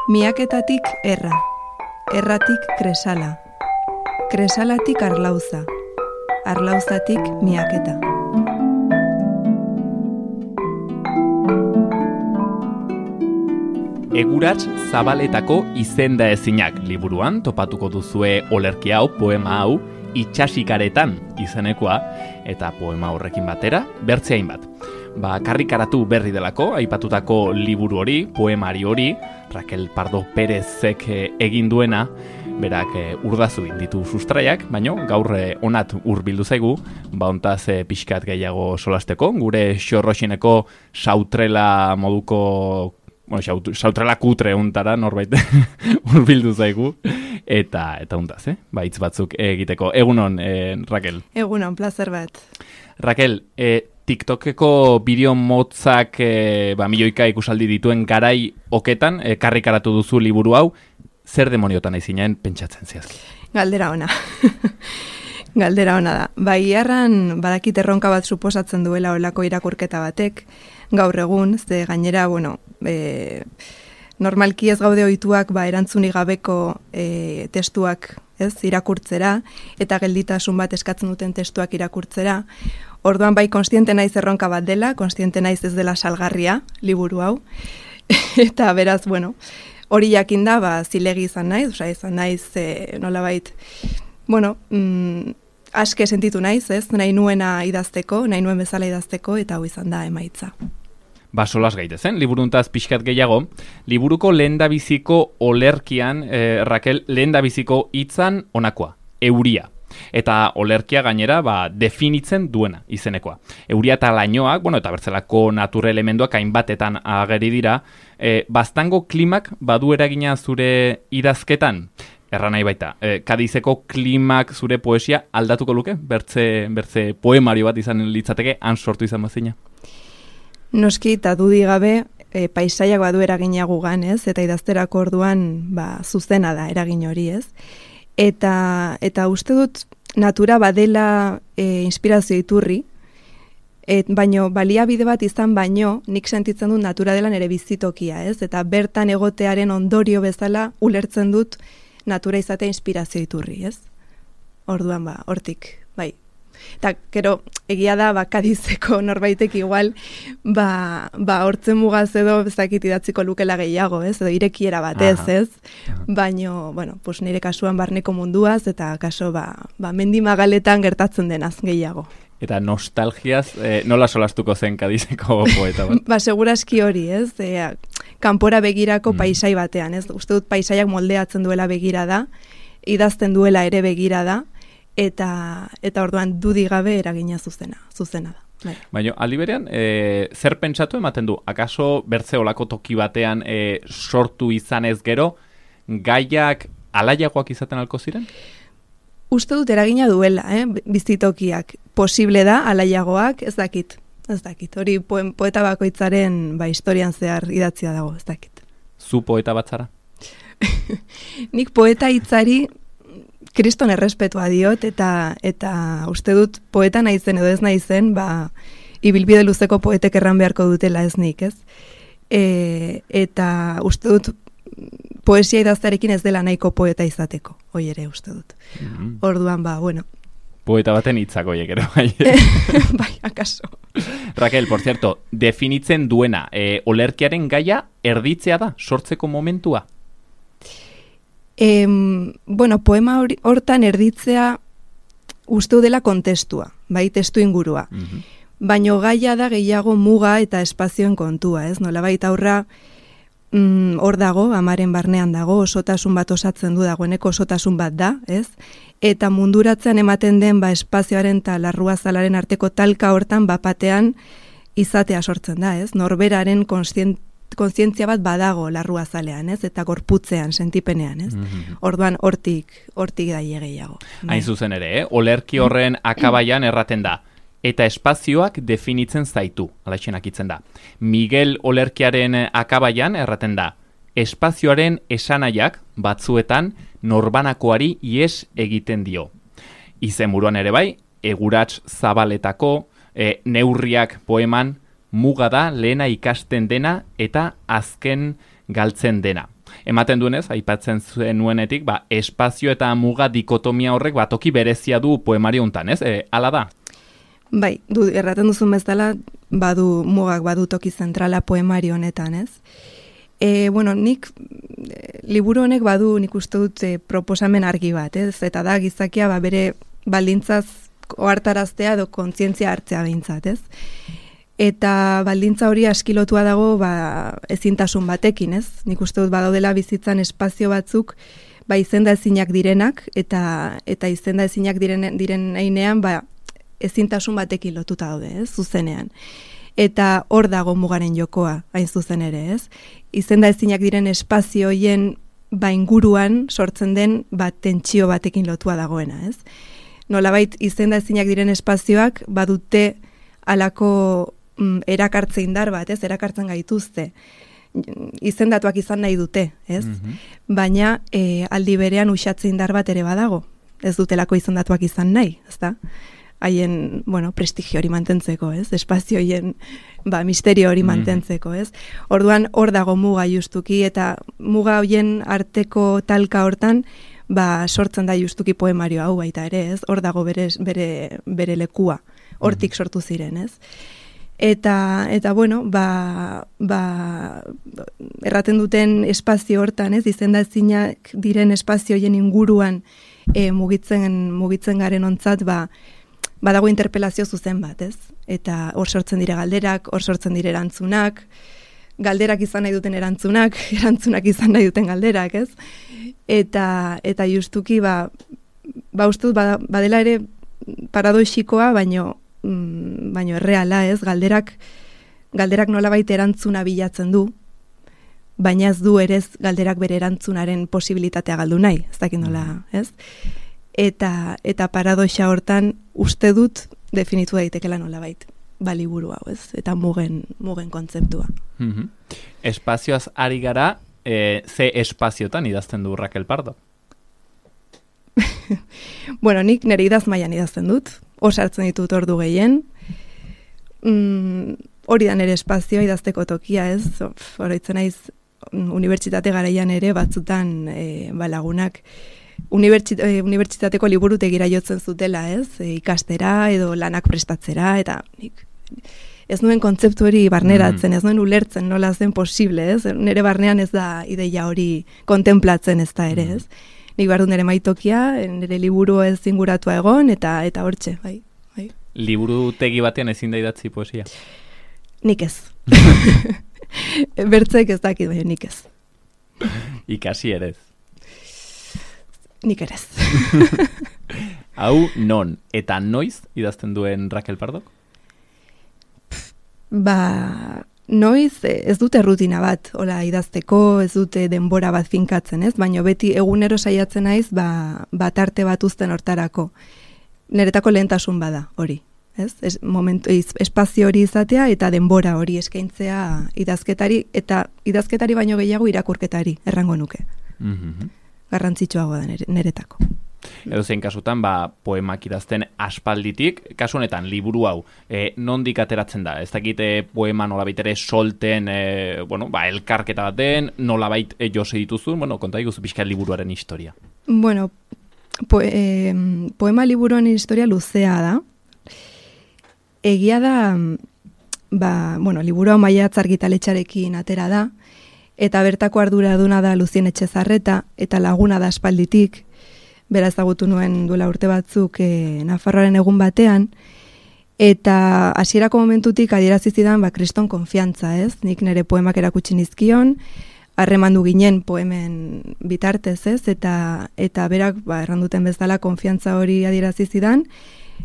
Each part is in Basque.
Miaketatik erra, erratik kresala, kresalatik arlauza, arlauzatik miaketa. Egurats Zabaletako izenda ezinak liburuan topatuko duzue olerki hau, poema hau, Itsasikaretan izenekoa, eta poema horrekin batera, bertzeain bat. Karrikaratu berri delako, aipatutako liburu hori, poemari hori, Raquel Pardo Perezek egin duena, berak urdazu ditu sustraiak, baino gaur onat hurbildu zaigu, hontaz pixkat gehiago solasteko, gure xorroxineko sautrela moduko, sautrela kutre untara norbait hurbildu zaigu, eta untaz, hitz batzuk egiteko. Egunon, Raquel. Egunon, plazer bat. Raquel, TikTokeko bideo motzak milioika ikusaldi dituen garai oketan, karrikaratu duzu liburu hau, zer demoniotan aizinen pentsatzen zehazki? Galdera ona. Galdera ona da. Iarran badakit erronka bat suposatzen duela olako irakurketa batek, gaur egun, ze gainera, normalki ez gaude ohituak erantzunik gabeko testuak irakurtzera, eta gelditasun bat eskatzen duten testuak irakurtzera. Orduan konstiente naiz erronka bat dela, konstiente naiz ez dela salgarria, liburu hau. Eta beraz, hori jakinda, zilegi izan naiz, nolabait, aske sentitu naiz, nahi nuena idazteko, nahi nuen bezala idazteko, eta hau izan da emaitza. Solas gaitezen, liburuntaz pixkat gehiago, liburuko lehendabiziko olerkian, Raquel, lehendabiziko hitzan honakoa, euria. Eta olerkia gainera definitzen duena izenekoa. Euria eta lainoak, eta bertzelako natura elementuak hainbatetan ageri dira, baztango klimak badu eragina zure idazketan? Erra nahi baita, Kadizeko klimak zure poesia aldatuko luke? Bertze poemario bat izan litzateke, han sortu izan bazina? Noski eta dudigabe, paisaiak badu eragina gugan, eta idazterako orduan zuzena da eragin hori, Eta uste dut natura badela inspirazio iturri, baino baliabide bat izan baino nik sentitzen dut natura dela nere bizitokia, eta bertan egotearen ondorio bezala ulertzen dut natura izatea inspirazio iturri, Orduan hortik, bai. Eta, gero, egia da, Kadizeko norbaitek igual, hortzen mugaz edo bezakit idatziko lukela gehiago, edo irekiera batez, Baino, nire kasuan barneko munduaz, eta kaso, mendi magaletan gertatzen denaz gehiago. Eta nostalgiaz, nola solastuko zen Kadizeko poeta bat? Segurazki hori, kanpora begirako paisai batean, Uste dut paisaiak moldeatzen duela begirada, idazten duela ere begirada, eta orduan dudigabe eragina zuzena da. Baina, aldi berean, zer pentsatu ematen du? Akaso bertze olako toki batean sortu izanez gero, gaiak alaiagoak izaten alko ziren? Uste dut eragina duela, bizitokiak. Posible da, alaiagoak, ez dakit. Hori poeta bakoitzaren historian zehar idatzia dago, ez dakit. Zu poeta bat zara? Nik poeta hitzari kriston errespetua diot, eta uste dut poeta naizen edo ez naizen, ibilbide luzeko poetek erran beharko dutela ez nik, Eta uste dut poesia idaztearekin ez dela nahiko poeta izateko, hoi ere uste dut. Orduan, Poeta baten hitzak hoiek ere, bai. Bai, akaso. Raquel, por cierto, definitzen duena, olerkiaren gaia erditzea da, sortzeko momentua? Poema hortan erditzea uste dela kontestua, testu ingurua. Baino gaia da gehiago muga eta espazioen kontua, Nolabait aurra hor dago, amaren barnean dago, osotasun bat osatzen du dagoeneko osotasun bat da, Eta munduratzean ematen den espazioaren eta larruazalaren arteko talka hortan bapatean izatea sortzen da, Norberaren kontzientzia bat badago larruazalean, eta gorputzean, sentipenean, Orduan hortik da gehiago. Hain zuzen ere, olerki horren akabaian erraten da, eta espazioak definitzen zaitu, alaixenak itzen da. Miguel olerkiaren akabaian erraten da, espazioaren esanaiak batzuetan norbanakoari ies egiten dio. Izenburuan ere bai, Egurats Zabaletako neurriak poeman muga da lehena ikasten dena eta azken galtzen dena. Ematen duenez, aipatzen nuenetik, espazio eta muga dikotomia horrek toki berezia du poemario hontan, ez? Hala da? Bai, erraten duzun bezala, mugak badu toki zentrala poemario honetan, ez? Nik liburu honek badu nik uste dut proposamen argi bat, ez? Eta da gizakia bere baldintzaz ohartaraztea edo kontzientzia hartzea behintzat, ez? Eta baldintza hori askilotua dago ezintasun batekin, ez? Nik uste dut badaudela bizitzan espazio batzuk izenda ezinak direnak eta izenda ezinak diren heinean ezintasun batekin lotuta daude, ez? Zuzenean. Eta hor dago mugaren jokoa, hain zuzen ere, ez? Izenda ezinak diren espazio hoien inguruan sortzen den tentsio batekin lotua dagoena, ez? Nolabait izenda ezinak diren espazioak badute halako erakartze indar bat, ez? Erakartzen gaituzte. Izendatuak izan nahi dute, ez? Baina aldi berean uxatze indar bat ere badago. Ez dutelako izendatuak izan nahi, ezta? Haien, prestigio hori mantentzeko, ez? Espazio hoien, misterio hori mantentzeko, ez? Orduan, hor dago muga justuki, eta muga hoien arteko talka hortan, sortzen da justuki poemario hau baita ere, ez? Hor dago bere lekua, hortik sortu ziren, ez? Eta erraten duten espazio hortan, ez? Izenda ezinak diren espazio hoien inguruan mugitzen garen ontzat, badago interpelazio zuzen bat, ez? Eta hor sortzen dire galderak, hor sortzen dire erantzunak, galderak izan nahi duten erantzunak izan nahi duten galderak, ez? Eta justuki, uste dut, badela ere paradoxikoa, baino erreala, ez? Galderak nolabait erantzuna bilatzen du, baina ez du ere galderak bere erantzunaren posibilitatea galdu nahi, ez dakit nola, ez? Eta paradoxa hortan uste dut definitu daitekela nolabait liburu hau, ez? Eta mugen kontzeptua. Espazioaz ari gara, ze espaziotan idazten du Raquel Pardo? Nik nire idaz mailan idazten dut, osartzen ditut ordu gehien, hori da nire espazioa idazteko tokia, ez? Oroitzen naiz unibertsitate garaian ere batzutan lagunak unibertsitateko liburutegira jotzen zutela, ez? Ikastera edo lanak prestatzera, eta ez nuen kontzeptu hori barneratzen, ez nuen ulertzen nola zen posible, ez? Nire barnean ez da ideia hori kontemplatzen ez da ere, ez? Nik behar du nire maitokia, nire liburu ez inguratua egon, eta hortxe, bai. Liburutegi batean ezin da idatzi poesia? Nik ez. Bertzeek ez dakit, baina nik ez. Ikasi erez. Nik erez. Hau non eta noiz idazten duen Raquel Pardok? Noiz ez dute rutina bat, idazteko, ez dute denbora bat finkatzen, ez? Baina beti egunero saiatzen naiz, arte bat uzten hortarako. Niretako lehentasun bada hori, ez? Espazio hori izatea eta denbora hori eskaintzea idazketari, eta idazketari baino gehiago irakurketari, errango nuke. Garrantzitsuagoa da niretako. Edo zein kasutan, poemak idazten aspalditik, kasu honetan, liburu hau, nondik ateratzen da? Ez dakite poema nolabait ere solten, elkarketa baten, nolabait jose dituzun, konta diguzu pixka liburuaren historia. Poema liburuaren historia luzea da. Egia da, liburu hau Maiatz argitaletxarekin atera da, eta bertako arduraduna da Luzien Etxezarreta, eta laguna da aspalditik, bera ezagutu nuen duela urte batzuk Nafarroaren egun batean, eta hasierako momentutik adierazi zidan kriston konfiantza, ez? Nik nire poemak erakutsi nizkion, harremandu ginen poemen bitartez, ez? Eta berak erranduten bezala konfiantza hori adierazi zidan,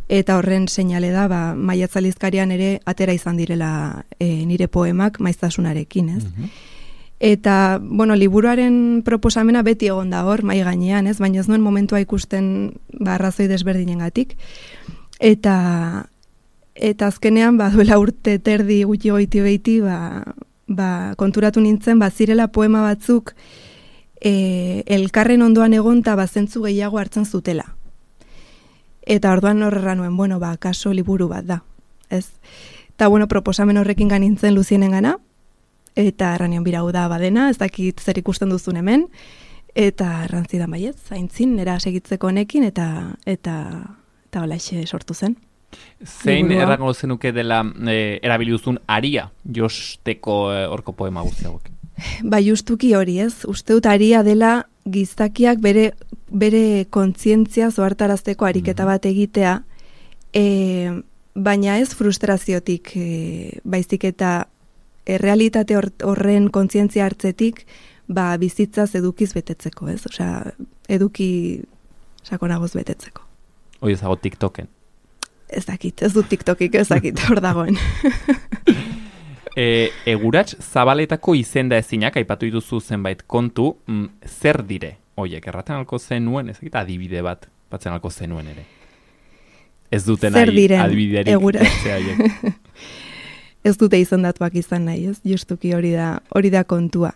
eta horren seinale da Maiatz aldizkarian ere atera izan direla nire poemak maiztasunarekin, ez? Eta, liburuaren proposamena beti egon da hor, mai gainean, ez? Baina ez nuen momentua ikusten arrazoi desberdinengatik. Eta azkenean, duela urte terdi gutxi goiti behiti, konturatu nintzen, zirela poema batzuk elkarren ondoan egon eta zentzu gehiago hartzen zutela. Eta orduan horrela nuen, kaso liburu bat da, ez? Eta, bueno, proposamen horrekin ganintzen Luzienen gana, eta erranion birau da badena, ez dakit zer ikusten duzun hemen, eta errantzidan baiet, zaintzin, nera segitzeko honekin, eta holaxe sortu zen. Zein errango zenuke dela erabiliduzun aria josteko horko poema guzti hauek? Ba, justuki hori ez, uste dut aria dela gizakiak bere kontzientzia zoartarazteko ariketa bat egitea, baina ez frustraziotik, baizik eta realitate horren kontzientzia hartzetik, ba, bizitzaz edukiz betetzeko, ez? Osea, eduki sakonagoz betetzeko. Hoi ezago TikToken? Ez dakit, ez dut TikTokik, ez dakit, hor dagoen. Egurats zabaletako izenda ezinak, aipatu dituzu zenbait kontu, zer dire? Oiek, erraten alko zenuen, ez dakit adibide bat, batzen alko zenuen ere. Ez duten adibiderik. Ez dute izendatuak izan nahi, ez? Justuki hori da kontua.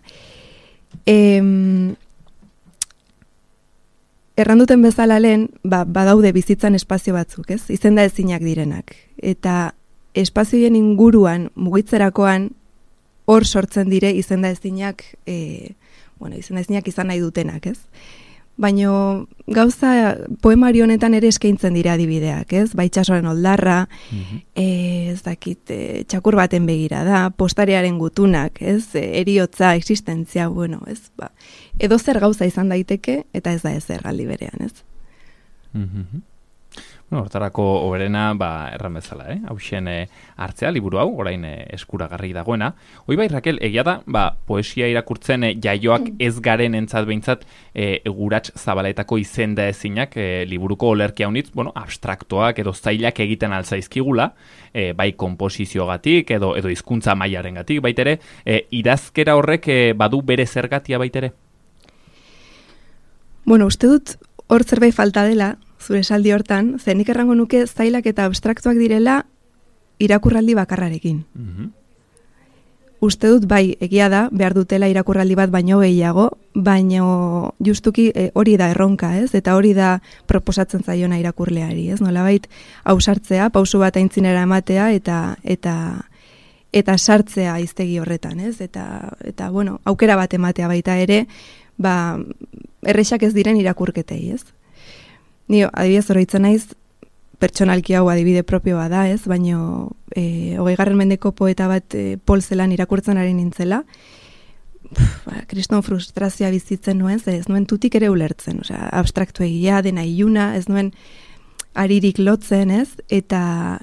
Erranduten bezala lehen, badaude bizitzan espazio batzuk, ez? Izenda ezinak direnak. Eta espazioen inguruan, mugitzerakoan, hor sortzen dire izenda ezinak, izenda ezinak izan nahi dutenak, ez? Baina gauza poemari honetan ere eskaintzen dira adibideak, ez? Itsasoaren oldarra, ez dakit, txakur baten begira da, postarearen gutunak, ez? Heriotza, existentzia, ez? Edo zer gauza izan daiteke, eta ez da ezer aldi berean, ez? Hortarako oberena, erran bezala, hausen hartzea, liburu hau, orain eskuragarri dagoena. Hoi bai, Rakel, egia da, poesia irakurtzen jaioak ez garen entzat behintzat Egurats zabaletako izenda ezinak liburuko olerki haunitz, abstraktoak edo zailak egiten altzaizkigula, bai komposiziogatik edo hizkuntza mailarengatik baitere, idazkera horrek badu bere zergatia baitere? Uste dut hor zerbait falta dela, zure esaldi hortan, nik errango nuke zailak eta abstraktuak direla irakurraldi bakarrarekin. Uste dut bai, egia da, behar dutela irakurraldi bat baino gehiago, baino justuki hori da erronka, ez? Eta hori da proposatzen zaiona irakurleari, ez? Nolabait ausartzea, pausu bat aintzinera ematea eta sartzea hiztegi horretan, ez? Eta aukera bat ematea baita ere, errexak ez diren irakurketei, ez? Ni adibidez oroitzen naiz, pertsonalki hau adibide propioa da, ez? Baina 20. mendeko poeta bat Paul Celan irakurtzen ari nintzela, kriston frustrazioa bizitzen nuen, ez nuen tutik ere ulertzen, osea, abstraktu egia, dena iluna, ez nuen aririk lotzen, ez? Eta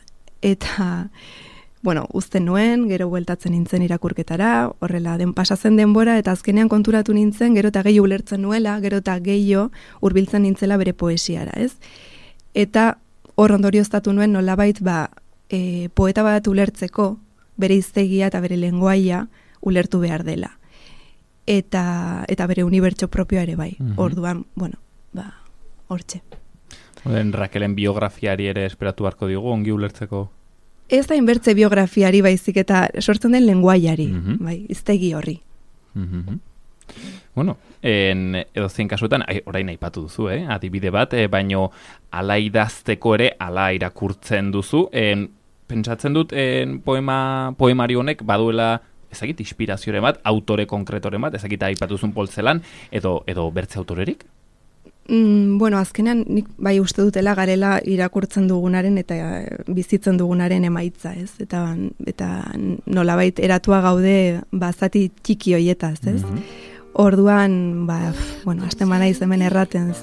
uzten nuen, gero bueltatzen nintzen irakurketara, horrela pasatzen denbora, eta azkenean konturatu nintzen, gero eta gehiago ulertzen nuela, gero eta gehiago hurbiltzen nintzela bere poesiara, ez? Eta hor ondorioztatu nuen nolabait poeta bat ulertzeko, bere hiztegia eta bere lengoaia ulertu behar dela. Eta bere unibertso propioa ere bai. Orduan, hortxe. Rakelen biografiari ere esperatu beharko digu, ongi ulertzeko? Ez da inbertze biografiari baizik eta sortzen den lenguaiari, hiztegi horri. Edo zein kasuetan, orain aipatu duzu, adibide bat, baino ala idazteko ere, ala irakurtzen duzu. Pentsatzen dut poemari honek baduela, ezagit, inspirazioren bat, autore konkretoren bat, ezagit aipatuzun Paul Celan, edo bertze autorerik? Azkenean nik bai uste dutela garela irakurtzen dugunaren eta bizitzen dugunaren emaitza, ez? Eta nolabait eratua gaude zati txiki hoietaz, ez? Orduan, hasten manaiz hemen erraten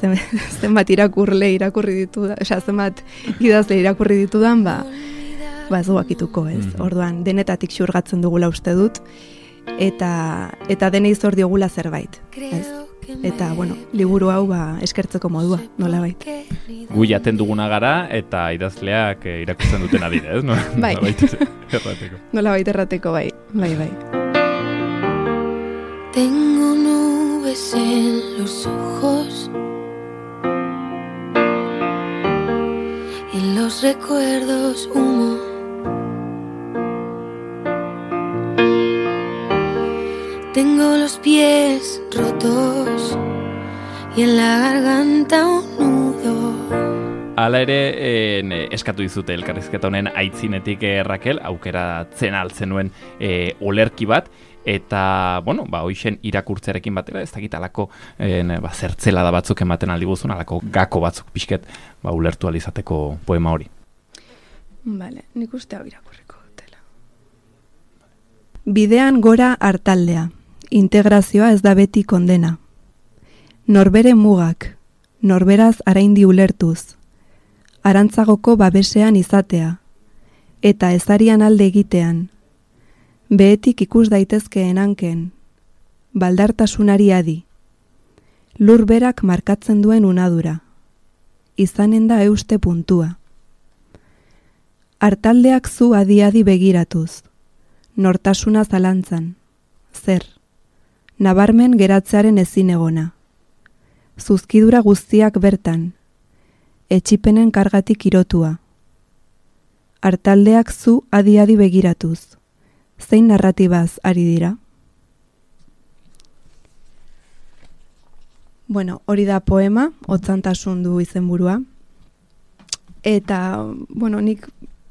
zenbat irakurle irakurri ditudan, zenbat idazle irakurri ditudan, ez duakituko, ez? Orduan, denetatik xurgatzen dugula uste dut, eta denei zor diogula zerbait, ez? Eta, liburu hau eskertzeko modua, nolabait. Gu jaten duguna gara eta idazleak irakurtzen duten adire, ez? Nolabait errateko. Nolabait errateko, bai. Tengo nubes en los ojos y en los recuerdos humo. Tengo los pies rotos y en la garganta un nudo. Hala ere, eskatu dizute elkarrizketa honen aitzinetik Rakel, aukeratzen altzen olerki bat, eta, hoixen irakurtzearekin batera, ez dakit alako zertzela da batzuk ematen aldi guzun, alako gako batzuk pixket, ulertu alizateko poema hori. Bale, nik uste hau irakurriko dutela. Bidean gora hartaldea, integrazioa ez da beti kondena. Norbere mugak, norberaz araindi ulertuz, arantzagoko babesean izatea, eta ezarian alde egitean, behetik ikus daitezkeen hanken, baldartasunari adi, lur berak markatzen duen unadura, izanen da euste puntua. Hartaldeak zu adi-adi begiratuz, nortasuna zalantzan, zer, nabarmen geratzearen ezin egona, zuzkidura guztiak bertan, etxipenen kargatik irotua. Hartaldeak zu adi-adi begiratuz, zein narratibaz ari dira? Hori da poema, Otzantasun du izenburua. Eta, nik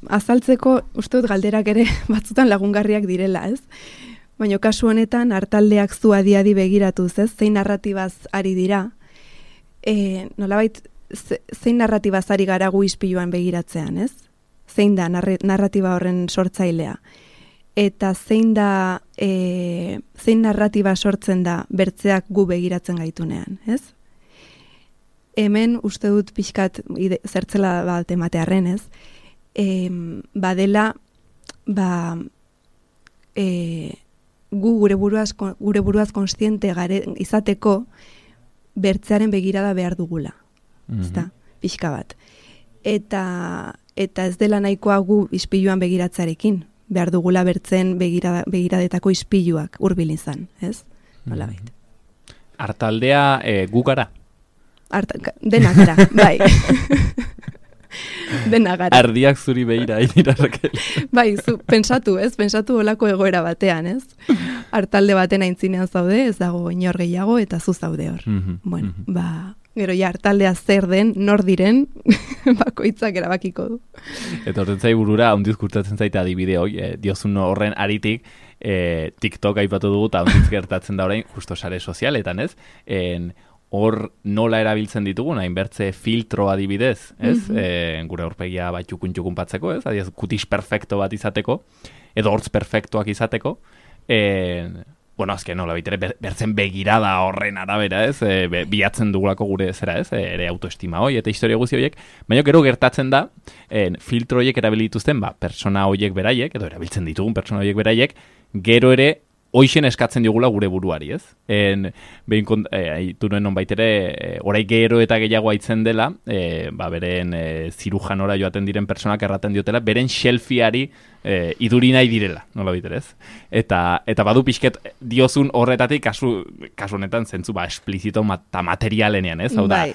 azaltzeko uste dut galderak ere batzutan lagungarriak direla, ez? Baina kasu honetan, hartaldeak zu adi-adi begiratuz, ez? Zein narratibaz ari dira? Nolabait, zein narratibaz ari gara gu ispiluan begiratzean, ez? Zein da narratiba horren sortzailea? Eta zein narratiba sortzen da bertzeak gu begiratzen gaitunean, ez? Hemen uste dut pixkat zertzela bat ematearren, ez? Badela, gu gure buruaz konstiente izateko bertzearen begirada behar dugula, ezta? Pixka bat. Eta ez dela nahikoa gu ispiluan begiratzarekin, behar dugula bertzen begiradetako ispiluak hurbil izan, ez? Nola baita. Hartaldea gu gara? Dena gara, bai. Dena gara. Ardiak zuri behira, Rakel. Bai, pensatu olako egoera batean, ez? Hartalde baten aintzinean zaude, ez dago inor gehiago, eta zu zaude hor. Gero hartaldea zer den, nor diren, bakoitzak erabakiko du. Eta horren zai burura, ondiz kurtatzen zaita adibide hoi, diozun horren aritik, TikTok aipatu dugu, eta ondiz gertatzen da orain, justo sare sozialetan, ez? Hor nola erabiltzen ditugu, nahin bertze filtro adibidez, ez? Gure horpegia bat txukun patzeko, ez? Adiaz, kutis perfecto bat izateko, edo hortz perfektuak izateko, azken nola baitere, bertzen begirada horren arabera, ez? Bilatzen dugulako gure zera, ez? Ere autoestima hoi, eta historia guzi horiek, baina gero gertatzen da, filtro horiek erabilituzten, persona horiek beraiek, edo erabiltzen ditugun persona horiek beraiek, gero ere, hoixen eskatzen digula gure buruari, ez? Behin haitu nuen nonbaitere, orai gero eta gehiago aitzen dela, beren zirujanora joaten diren personak erraten diotela, beren selfieari iduri nahi direla, nola biterez. Eta badu pixket diozun horretatik, kasu honetan zentzu, esplizito eta materialenean, ez? Hau da,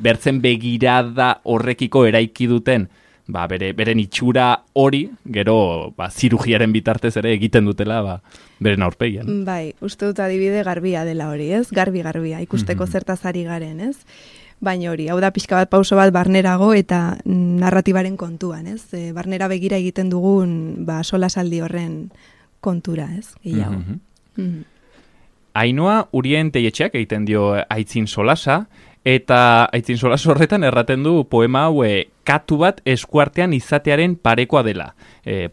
bertzen begirada horrekiko eraiki duten, beren itxura hori, gero zirugiaren bitartez ere egiten dutela beren aurpegian. Bai, uste dut adibide garbia dela hori, ez? Garbia, ikusteko zertaz ari garen, ez? Baina hori, hau da pixka bat pauso bat barnerago eta narratibaren kontuan, ez? Barnera begira egiten dugun solasaldi horren kontura, ez? Gehiago. Ainhoa Urien Teietxeak egiten dio aitzin solasa, eta aitzin solas horretan erraten du poema hau katu bat eskuartean izatearen parekoa dela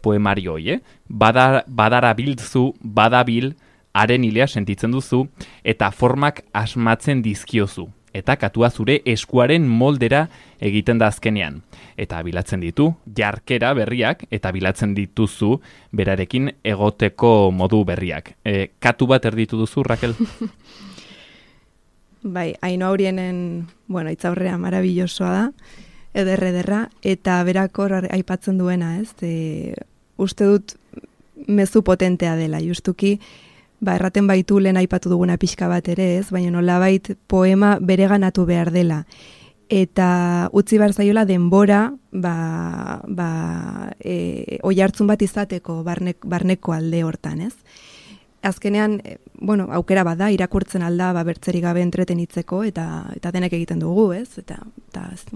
poemario hoi, badarabiltzu, badabil, haren hilea sentitzen duzu, eta formak asmatzen dizkiozu, eta katua zure eskuaren moldera egiten da azkenean. Eta bilatzen ditu, jarkera berriak, eta bilatzen dituzu berarekin egoteko modu berriak. Katu bat erditu duzu, Rakel? Bai, Ainhoa Urienen, itzaurrea marabillosoa da, ederra, eta berakor aipatzen duena, ez? Uste dut mezu potentea dela, justuki, erraten baitu lehen aipatu duguna pixka bat ere, ez? Baina nolabait poema bereganatu behar dela. Eta utzi behar zaiola denbora, oihartzun bat izateko barneko alde hortan, ez? Azkenean, aukera bada, irakurtzen alda, bertzerik gabe entretenitzeko, eta denek egiten dugu, ez? Eta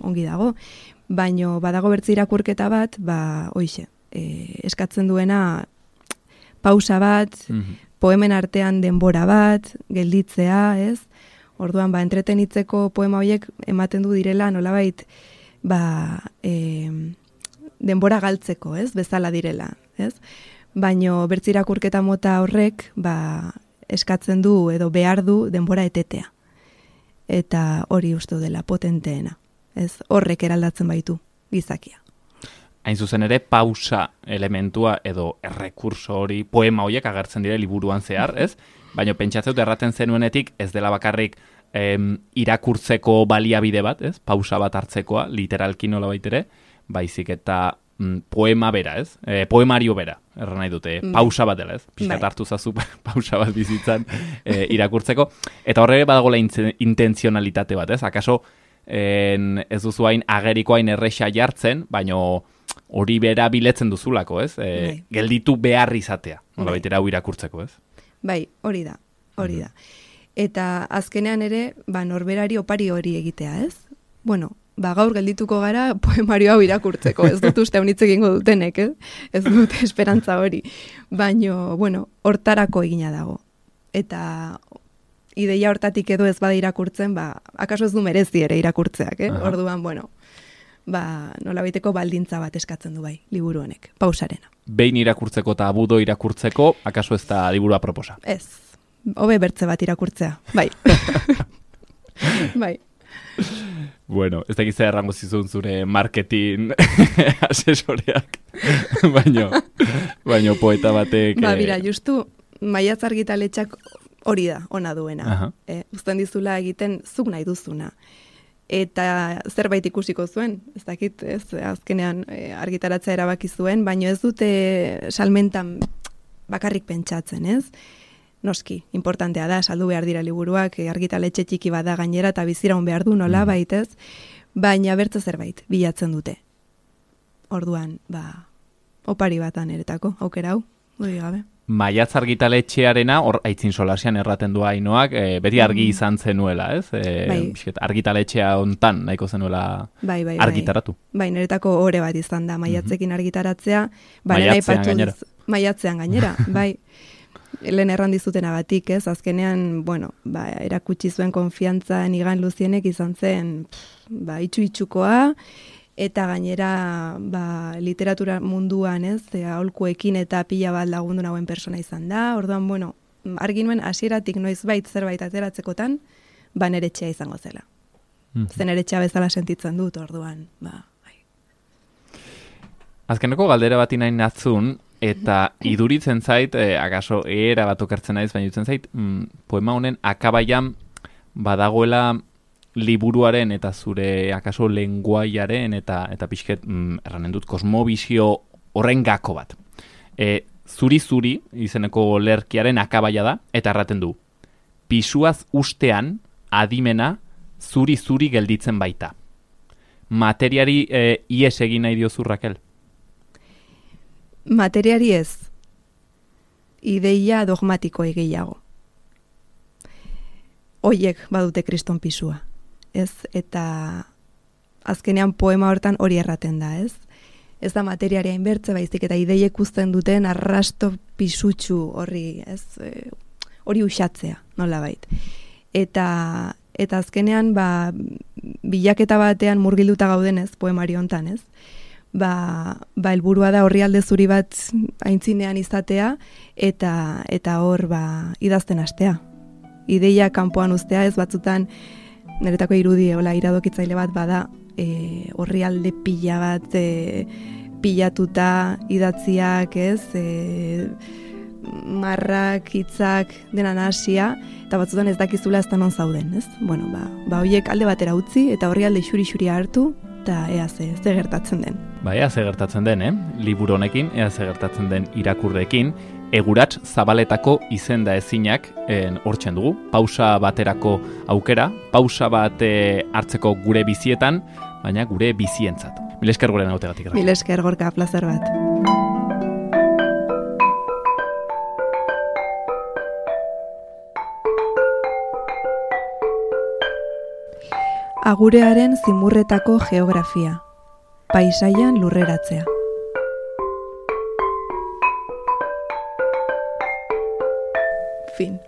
ongi dago. Baino badago bertze irakurketa bat, hoixe, eskatzen duena pausa bat, poemen artean denbora bat, gelditzea, ez? Orduan, entretenitzeko poema horiek ematen du direla nolabait, denbora galtzeko, ez? Bezala direla, ez? Baino bertze irakurketa mota horrek, eskatzen du edo behar du denbora etetea. Eta hori uste dela potenteena. Ez horrek eraldatzen baitu gizakia. Hain zuzen ere, pausa elementua edo errekurso hori poema horiek agertzen dire liburuan zehar, ez? Baina pentsatzen dut erraten zenuenetik ez dela bakarrik irakurtzeko baliabide bat, ez? Pausa bat hartzekoa, literalki nola baitere, baizik eta poema bera, ez? Poemario bera, erran nahi dute, pausa bat dela, ez? Piskat hartu zazu pausa bat bizitzan irakurtzeko. Eta horre badagoela intenzionalitate bat, ez? Akaso ez duzu hain ageriko hain erresa jartzen, baino hori bera biletzen duzulako, ez? Gelditu behar izatea, nola baitera hau irakurtzeko, ez? Bai, hori da. Eta azkenean ere, norberari opari hori egitea, ez? Bueno, gaur geldituko gara poemario hau irakurtzeko, ez dut uste honitz egingo dutenek, ez dut esperantza hori. Baino, hortarako egina dago. Eta ideia hortatik edo ez bada irakurtzen, akaso ez du merezi ere irakurtzeak, Orduan, nolabaiteko baldintza bat eskatzen du bai, liburu honek, pausarena. Behin irakurtzeko eta abudo irakurtzeko, akaso ez da liburua proposa? Ez, hobe bertze bat irakurtzea, bai. Bai. Bueno, ez dakiz errango zizun zure marketing asesoreak, baino poeta batek... Bira, justu, Maiatz argitaletxak hori da, ona duena. Uzten dizula egiten zuk nahi duzuna. Eta zerbait ikusiko zuen, ez dakit, azkenean argitaratzea erabaki zuen, baino ez dute salmentan bakarrik pentsatzen, ez? Noski, importantea da, saldu behar dira liburuak, argitaletxe txiki bada gainera eta biziraun behar du nola baitez, baina bertze zerbait bilatzen dute. Orduan, opari batan eretako, aukera hau, dudi gabe. Maiatz argitaletxearena, hor aitzin solasian erraten du Ainoak, beti argi izan zenuela, ez? Argitaletxea hontan nahiko zenuela argitaratu. Bai, niretako ore bat izan da, maiatzekin argitaratzea. Maiatzean gainera, bai. Lehen erran dizutenagatik, ez? Azkenean, erakutsi zuen konfiantza nigan Luzienek izan zen, itxu-itxukoa, eta gainera literatura munduan, ez, aholkuekin eta pila bat lagundu nagoen persona izan da. Orduan, argi nuen hasieratik noizbait zerbait ateratzekotan, nere etxea izango zela. Zen nere etxea bezala sentitzen dut, orduan, bai. Azkeneko galdera bat inain natzun, eta iduritzen zait, akaso era bat okertzen naiz, baina iruditzen zait, poema honen akabaian badagoela liburuaren eta zure akaso lenguaiaren eta pixket erranen dut kosmobizio horren gako bat. Zuri-zuri izeneko lerkiaren akabaia da, eta erraten du, pisuaz ustean adimena zuri-zuri gelditzen baita. Materiari ies egin nahi diozu, Rakel? Materiari ez. Ideia dogmatiko gehiago. Hoiek badute kriston pisua. Ez, eta azkenean poema hortan hori erraten da, ez? Ez da materiaria inbertze baizik eta ideiek uzten duten arrasto pisutsu horri, ez? Hori uxatzea, nolabait. Eta azkenean, bilaketa batean murgilduta gaudenez, poemario hontan, ez? Helburua da orrialde zuri bat aintzinean izatea, eta hor, idazten hastea. Ideia kanpoan uztea, ez batzutan, niretako irudi, iradokitzaile bat bada, orrialde pila bat pilatuta idatziak, ez, marrak, hitzak, dena nahasia, eta batzutan ez dakizula ez da non zauden, ez? Bueno, horiek alde batera utzi, eta orrialde xuri-xuri hartu, eta ea ze gertatzen den. Ea ze gertatzen den, liburu honekin, ea ze gertatzen den irakurrekin, Egurats Zabaletako izenda ezinak hortzen dugu. Pausa baterako aukera, pausa bat hartzeko gure bizietan, baina gure bizientzat. Mil esker guren hautegatik. Mil esker, Gorka, plazer bat. Agurearen zimurretako geografia. paisaian lurreratzea. Fin.